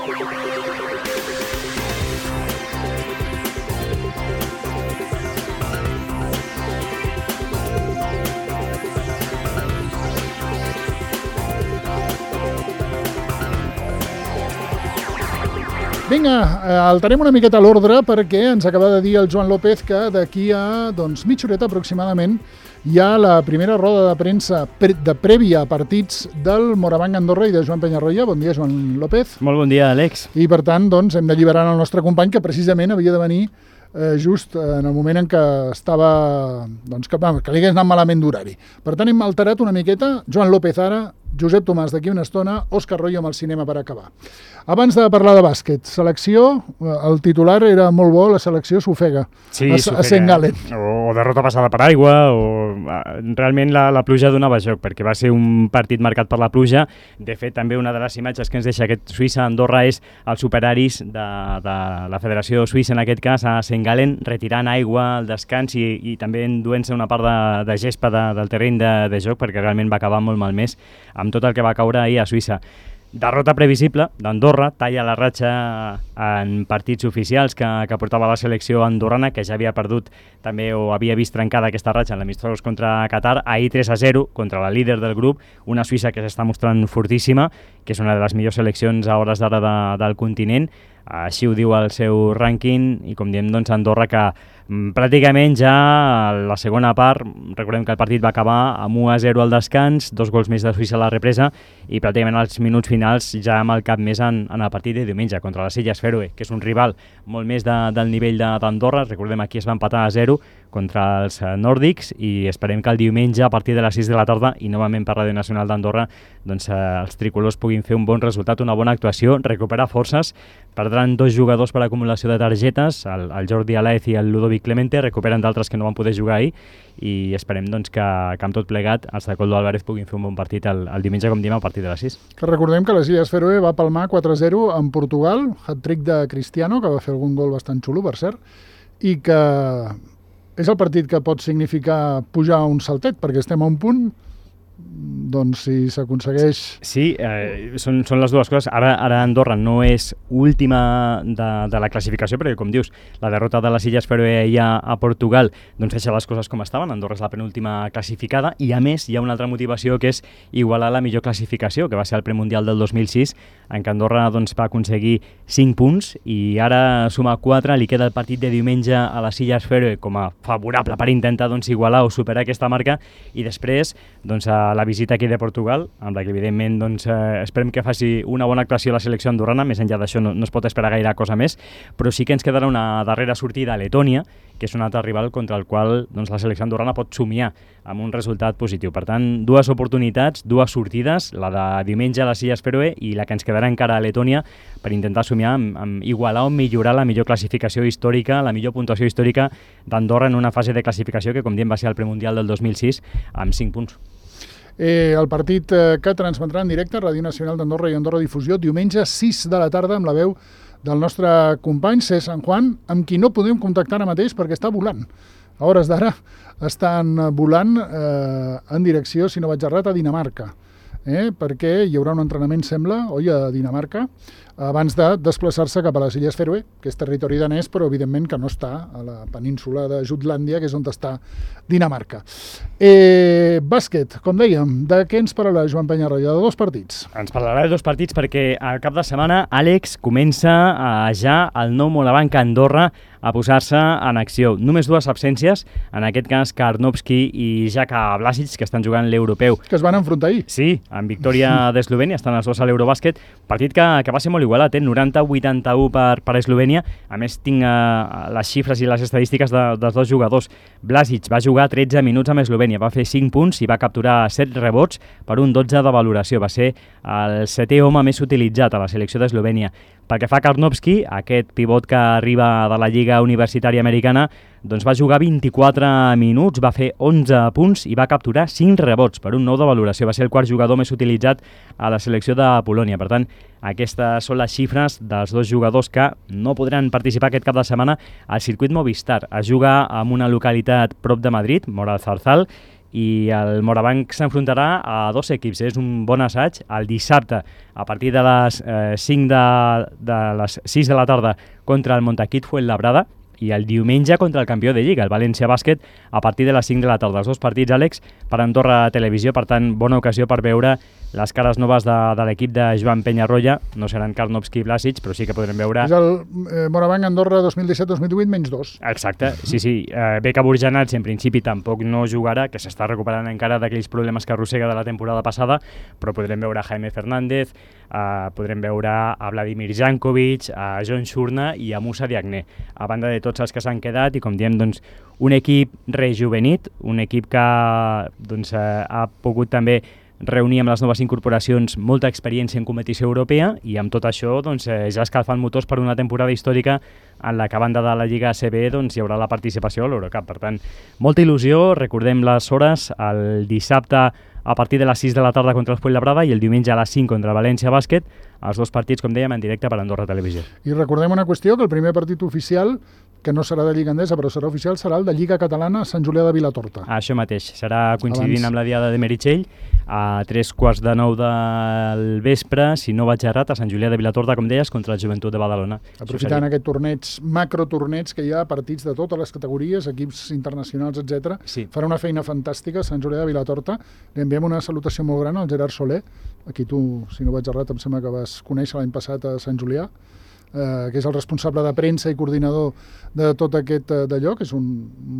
Vinga, alterem una miqueta l'ordre perquè ens acaba de dir el Joan López que d'aquí a mitja horeta aproximadament hi ha la primera roda de premsa de prèvia a partits del Morabanc Andorra i de Joan Penyarroia. Bon dia, Joan López. Molt bon dia, Àlex. I per tant, doncs, hem d'alliberar el nostre company que precisament havia de venir just en el moment en què estava, doncs, que li hagués anat malament d'horari. Per tant, hem alterat una miqueta. Joan López ara, Josep Tomàs d'aquí una estona, Òscar Royo amb el cinema per acabar. Abans de parlar de bàsquet, selecció, el titular era molt bo, la selecció s'ofega a St. Gallen. O derrota passada per aigua, o realment la pluja donava joc, perquè va ser un partit marcat per la pluja. De fet, també una de les imatges que ens deixa aquest Suïssa-Andorra és el superaris de la Federació Suïssa, en aquest cas, a St. Gallen, retirant aigua al descans i també enduent-se una part de gespa del terreny de joc, perquè realment va acabar molt malmès amb tot el que va caure ahir a Suïssa. Derrota previsible d'Andorra, talla la ratxa en partits oficials que portava la selecció andorrana, que ja havia perdut també o havia vist trencada aquesta ratxa en l'amistós contra Qatar, ahir 3-0 contra la líder del grup, una Suïssa que s'està mostrant fortíssima, que és una de les millors seleccions a hores d'ara del continent. Així ho diu el seu rànquing i, com diem, doncs, Andorra que pràcticament ja a la segona part, recordem que el partit va acabar amb 1-0 al descans, 2 gols més de Suïssa a la represa i pràcticament als minuts finals ja amb el cap més en el partit de diumenge contra les Illes Fèroe, que és un rival molt més del nivell d'Andorra. Recordem, aquí es va empatar a 0 contra els nòrdics i esperem que el diumenge a partir de les 6 de la tarda i novament per Ràdio Nacional d'Andorra doncs, els tricolors puguin fer un bon resultat, una bona actuació, recuperar forces. Perdran 2 jugadors per acumulació de targetes, el Jordi Alaez i el Ludovic Clemente, recuperen d'altres que no van poder jugar ahir i esperem doncs, que amb tot plegat els de Coldo Álvarez puguin fer un bon partit el diumenge, com diem, a partir de les 6. Que recordem que les Illes Fèroe va palmar 4-0 en Portugal, hat-trick de Cristiano, que va fer algun gol bastant xulo, per cert, i que és el partit que pot significar pujar un saltet, perquè estem a un punt, doncs si s'aconsegueix... Sí, són les dues coses. Ara Andorra no és última de la classificació, perquè, com dius, la derrota de les Illes Fèroe ja a Portugal doncs deixa les coses com estaven. Andorra és la penúltima classificada i, a més, hi ha una altra motivació que és igualar la millor classificació, que va ser el premundial del 2006, en què Andorra doncs, va aconseguir 5 punts i ara suma 4, li queda el partit de diumenge a les Illes Fèroe com a favorable per intentar doncs, igualar o superar aquesta marca i després doncs, a la visita aquí de Portugal, amb la que evidentment doncs, esperem que faci una bona actuació a la selecció andorrana, més enllà d'això no es pot esperar gaire cosa més, però sí que ens quedarà una darrera sortida a Letònia, que és un altre rival contra el qual doncs, la selecció andorrana pot somiar amb un resultat positiu. Per tant, 2 oportunitats, 2 sortides, la de diumenge a les Illes Fèroe i la que ens quedarà encara a Letònia per intentar somiar amb igualar o millorar la millor classificació històrica, la millor puntuació històrica d'Andorra en una fase de classificació que, com diem, va ser el premundial del 2006 amb 5 punts. El partit que transmetrà en directe Ràdio Nacional d'Andorra i Andorra Difusió diumenge 6 de la tarda amb la veu del nostre company César Juan, amb qui no podem contactar ara mateix perquè està volant. A hores d'ara estan volant en direcció, si no vaig errat, a Dinamarca, perquè hi haurà un entrenament, sembla, a Dinamarca, abans de desplaçar-se cap a les Illes Fèroe, que és territori danès, però evidentment que no està a la península de Jutlàndia, que és on està Dinamarca. Bàsquet, com dèiem, de què ens parlarà Joan Penyarroia? De 2 partits. Ens parlarà de 2 partits perquè al cap de setmana, Àlex, comença ja el nou Morabanc Andorra a posar-se en acció. Només 2 absències, en aquest cas Karnovski i Jaka Blasic, que estan jugant l'europeu. Que es van enfrontar ahir. Sí, amb victòria d'Eslovènia, estan els 2 a l'Eurobàsquet, partit que va ser molt igualat, 90-81 per Eslovènia. A més, tinc les xifres i les estadístiques dels 2 jugadors. Blasic va jugar 13 minuts amb Eslovènia, va fer 5 punts i va capturar 7 rebots per un 12 de valoració. Va ser el 7è home més utilitzat a la selecció d'Eslovènia. Pel que fa a Karnovski, aquest pivot que arriba de la Lliga Universitària Americana, doncs va jugar 24 minuts, va fer 11 punts i va capturar 5 rebots per un 9 de valoració. Va ser el 4 jugador més utilitzat a la selecció de Polònia. Per tant, aquestes són les xifres dels 2 jugadors que no podran participar aquest cap de setmana al circuit Movistar. Es juga en una localitat prop de Madrid, Mora del Zarzal, i el Morabanc s'enfrontarà a dos equips. És un bon assaig. El dissabte, a partir de les 6 de la tarda, contra el Montaquit Fuenlabrada, i el diumenge contra el campió de Lliga, el València Bàsquet, a partir de les 5 de la tarda. Els dos partits, Àlex, per Andorra Televisió, per tant, bona ocasió per veure les cares noves de l'equip de Joan Penyarroia. No seran Karnovski i Blasic, però sí que podrem veure... És el Morabanc Andorra 2017-2018 -2. Exacte, sí. Beka Burjanats en principi tampoc no jugarà, que s'està recuperant encara d'aquells problemes que arrossega de la temporada passada, però podrem veure a Jaime Fernández, podrem veure a Vladimir Jankovic, a John Shurna i a Musa Diagne, a banda de tots els que s'han quedat, i com diem, doncs, un equip rejuvenit, un equip que doncs, ha pogut també reunir amb les noves incorporacions molta experiència en competició europea, i amb tot això doncs, ja escalfant motors per una temporada històrica en la que, a banda de la Lliga ACB, doncs, hi haurà la participació a l'Eurocup. Per tant, molta il·lusió. Recordem les hores: el dissabte a partir de les 6 de la tarda contra el Fuenlabrada i el diumenge a les 5 contra el València Bàsquet, els dos partits, com dèiem, en directe per Andorra Televisió. I recordem una qüestió, que el primer partit oficial, que no serà de Lliga Endesa, però serà oficial, serà el de Lliga Catalana a Sant Julià de Vilatorta. Això mateix, serà coincidint amb la diada de Meritxell, a 3:15 del vespre, si no vaig errat, a Sant Julià de Vilatorta, com deies, contra el Joventut de Badalona. Aprofitant aquest torneig, macrotorneig, que hi ha partits de totes les categories, equips internacionals, etc. Sí. Farà una feina fantàstica a Sant Julià de Vilatorta. Li enviem una salutació molt gran al Gerard Soler, a qui tu, si no vaig errat, em sembla que vas conèixer l'any passat a Sant Julià, que és el responsable de premsa i coordinador de tot aquest d'allò, que és un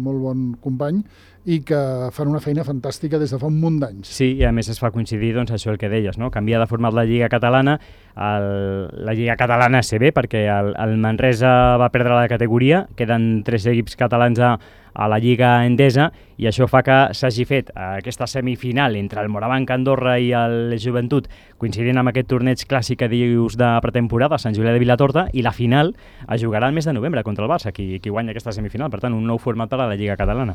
molt bon company, i que fan una feina fantàstica des de fa un munt d'anys. Sí, i a més es fa coincidir, doncs, això el que deies, no? Canviar de format la Lliga Catalana, la Lliga Catalana CB, perquè el Manresa va perdre la categoria, queden 3 equips catalans a la Lliga Endesa, i això fa que s'hagi fet aquesta semifinal entre el Morabanc Andorra i el Joventut, coincidint amb aquest torneig clàssic que dius de pretemporada a Sant Julià de Vilatorta, i la final es jugarà el mes de novembre contra el Barça, qui guanya aquesta semifinal. Per tant, un nou format per a la Lliga Catalana.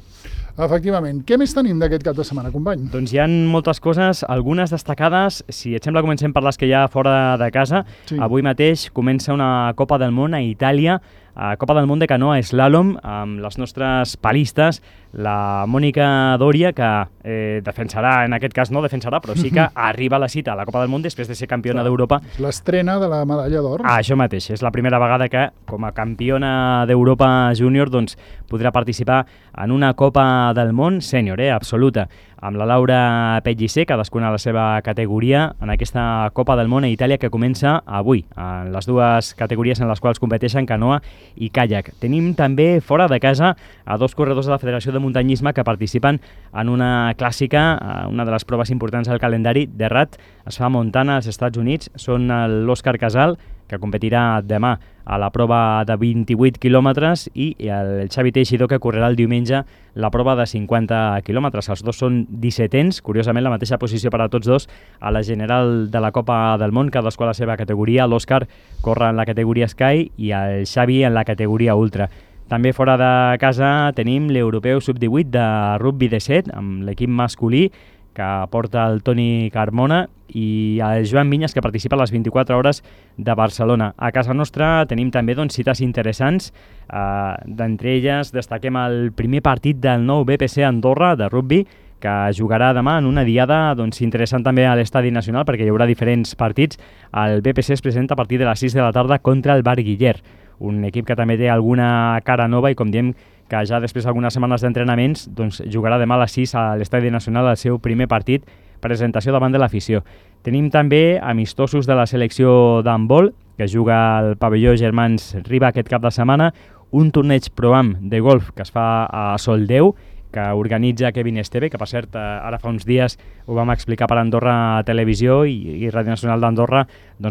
Efectivament. Què més tenim d'aquest cap de setmana, company? Doncs hi ha moltes coses, algunes destacades. Si et sembla, comencem per les que hi ha fora de casa. Sí. Avui mateix comença una Copa del Món a Itàlia, Copa del Món de canoa slalom, amb les nostres palistes, la Mònica Dòria, que defensarà, en aquest cas no defensarà, però sí que arriba a la cita a la Copa del Món després de ser campiona d'Europa. L'estrena de la medalla d'or. Això mateix, és la primera vegada que, com a campiona d'Europa júnior, doncs, podrà participar en una Copa del Món sènior, absoluta, amb la Laura Pellicer, cadascuna a la seva categoria, en aquesta Copa del Món a Itàlia que comença avui, en les dues categories en les quals competeixen canoa i caiac. Tenim també fora de casa a 2 corredors de la Federació de Muntanyisme que participen en una clàssica, una de les proves importants del calendari de RAT. Es fa a Montana, als Estats Units. Són l'Òscar Casal, que competirà demà a la prova de 28 quilòmetres, i el Xavi Teixidor, que correrà el diumenge la prova de 50 quilòmetres. Els dos són 17ens, curiosament la mateixa posició per a tots dos a la general de la Copa del Món, cadascú a la seva categoria. L'Òscar corre en la categoria Sky i el Xavi en la categoria Ultra. També fora de casa tenim l'Europeu Sub-18 de rugby de 7, amb l'equip masculí, que porta el Toni Carmona, i el Joan Vinyes, que participa a les 24 hores de Barcelona. A casa nostra tenim també cites interessants. D'entre elles destaquem el primer partit del nou BPC Andorra de rugby, que jugarà demà en una diada interessant també a l'Estadi Nacional, perquè hi haurà diferents partits. El BPC es presenta a partir de les 6 de la tarda contra el Bar Guiller, un equip que també té alguna cara nova, i com diem, que ja després d'algunes setmanes d'entrenaments jugarà demà a les 6 a l'Estadi Nacional el seu primer partit, presentació davant de l'afició. Tenim també amistosos de la selecció d'handbol, que juga al pavelló Germans Riba aquest cap de setmana, un torneig Pro-Am de golf que es fa a Soldeu, que organitza Kevin Esteve, que per cert ara fa uns dies ho vam explicar per Andorra Televisió i Ràdio Nacional d'Andorra,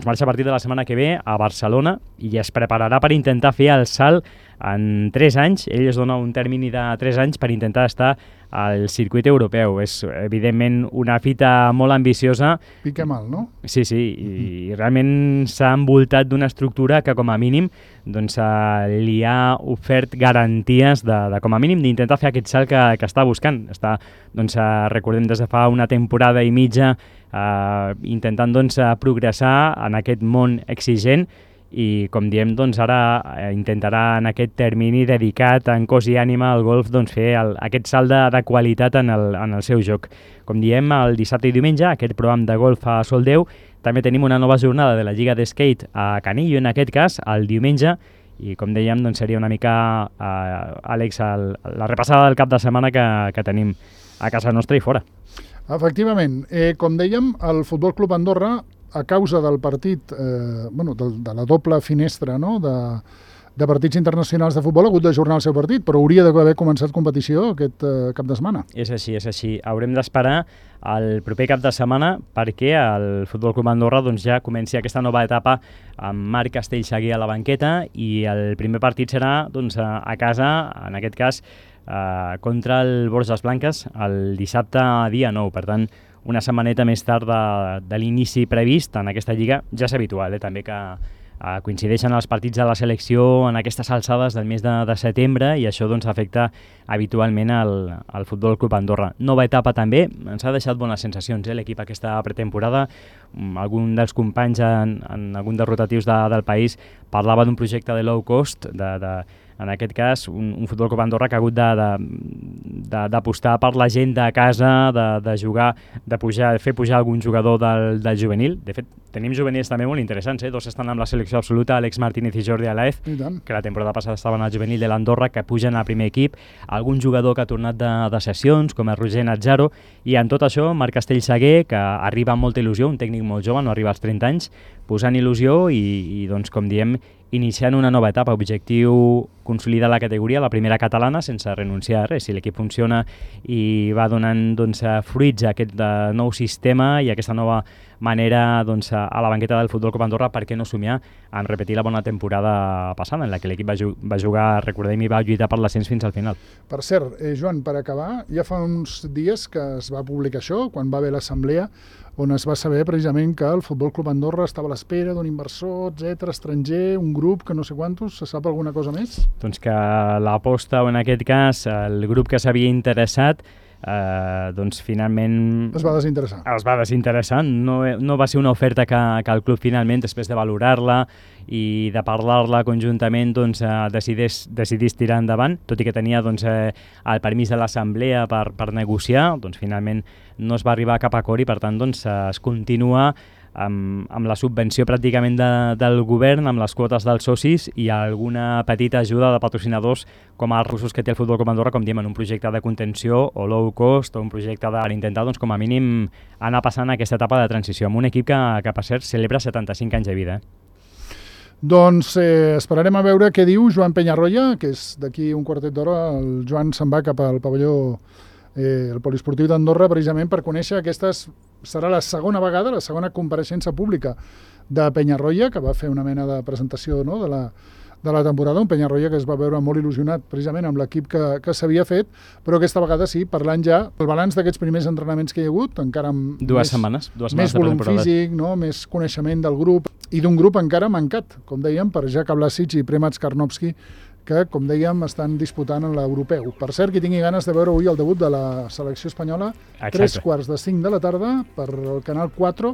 marxa a partir de la setmana que ve a Barcelona i es prepararà per intentar fer el salt en 3 anys. Ell es dona un termini de 3 anys per intentar estar al circuit europeu. És, evidentment, una fita molt ambiciosa. Pica mal, no? Sí, i realment s'ha envoltat d'una estructura que, com a mínim, li ha ofert garanties de com a mínim, d'intentar fer aquest salt que està buscant. Està, recordem, des de fa una temporada i mitja intentant progressar en aquest món exigent, i com diem, doncs ara intentarà en aquest termini dedicat en cos i ànima al golf doncs fer aquest salt de qualitat en el seu joc. Com diem, el dissabte i diumenge, aquest programa de golf a Soldeu, també tenim una nova jornada de la Lliga de Skate a Canillo, en aquest cas, el diumenge, i com dèiem, doncs seria una mica, Àlex, la repassada del cap de setmana que tenim a casa nostra i fora. Efectivament, com dèiem, el Futbol Club Andorra, a causa del partit, de la doble finestra, no?, de partits internacionals de futbol, ha hagut d'ajornar el seu partit, però hauria d'haver començat competició aquest cap de setmana. És així. Haurem d'esperar el proper cap de setmana perquè el Futbol Club Andorra doncs, ja comenci aquesta nova etapa amb Marc Castellsaguer a la banqueta, i el primer partit serà doncs, a casa, en aquest cas, contra el Borges Blanques el dissabte dia 9. Per tant, una setmaneta més tard de l'inici previst en aquesta lliga. Ja és habitual, també que coincideixen els partits de la selecció en aquestes alçades del mes de setembre, i això doncs, afecta habitualment al Futbol Club Andorra. Nova etapa també, ens ha deixat bones sensacions l'equip aquesta pretemporada. Algun dels companys en algun dels rotatius del país parlava d'un projecte de low cost, en aquest cas un Futbol Club Andorra que ha hagut d'apostar per la gent de casa, de jugar, de fer pujar algun jugador del juvenil. De fet, tenim juvenils també molt interessants, dos estan amb la selecció absoluta, Àlex Martínez i Jordi Alaez, que la temporada passada estaven al juvenil de l'Andorra, que pugen al primer equip, algun jugador que ha tornat de sessions, com el Roger Nazzaro, i en tot això Marc Castellsaguer, que arriba amb molta il·lusió, un tècnic molt jove, no arriba als 30 anys, posant il·lusió i doncs, com diem, iniciant una nova etapa. Objectiu consolidar la categoria, la primera catalana, sense renunciar a res. Si l'equip funciona i va donant fruits a aquest nou sistema i aquesta nova manera a la banqueta del Futbol Club Andorra, per què no somiar en repetir la bona temporada passada, en la que l'equip va jugar, recordem, i va lluitar per l'ascens fins al final. Per cert, Joan, per acabar, ja fa uns dies que es va publicar això, quan va haver l'assemblea, on es va saber precisament que el Futbol Club Andorra estava a l'espera d'un inversor, estranger, un grup que no sé quantos. Se sap alguna cosa més? Doncs que l'aposta, o en aquest cas el grup que s'havia interessat, doncs finalment es va desinteressar. No va ser una oferta que el club finalment, després de valorar-la i de parlar-la conjuntament, doncs, decidís tirar endavant, tot i que tenia el permís de l'assemblea per negociar. Doncs finalment no es va arribar a cap acord i per tant es continua amb la subvenció pràcticament del govern, amb les quotes dels socis i alguna petita ajuda de patrocinadors com els russos que té el Futbol Club Andorra, com diem, en un projecte de contenció o low cost, o un projecte per intentar, com a mínim, anar passant aquesta etapa de transició amb un equip que per cert, celebra 75 anys de vida. Doncs esperarem a veure què diu Joan Penyarroia, que és d'aquí un quartet d'hora. El Joan se'n va cap al pavelló el poliesportiu d'Andorra, precisament per conèixer serà la segona vegada, la segona compareixença pública de Penyarroia, que va fer una mena de presentació, no?, de la temporada, un Penyarroia que es va veure molt il·lusionat precisament amb l'equip que s'havia fet, però aquesta vegada sí, parlant ja el balanç d'aquests primers entrenaments que hi ha hagut, encara amb dues setmanes més volum físic, no?, més coneixement del grup, i d'un grup encara mancat, com dèiem, per Jack Blasic i Premac Karnovski, que, com dèiem, estan disputant en l'europeu. Per cert, qui tingui ganes de veure avui el debut de la selecció espanyola, 3:45 de la tarda, per el Canal 4,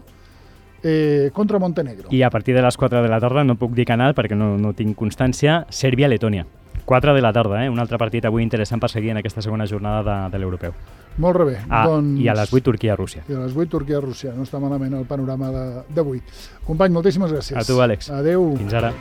contra Montenegro. I a partir de les 4 de la tarda, no puc dir canal perquè no tinc constància, Sèrbia-Letònia. 4 de la tarda, un altre partit avui interessant per seguir en aquesta segona jornada de l'europeu. Molt bé. I a les 8 Turquia-Rússia. I a les 8 Turquia-Rússia. No està malament el panorama d'avui. Company, moltíssimes gràcies. A tu, Àlex. Adéu. Fins ara.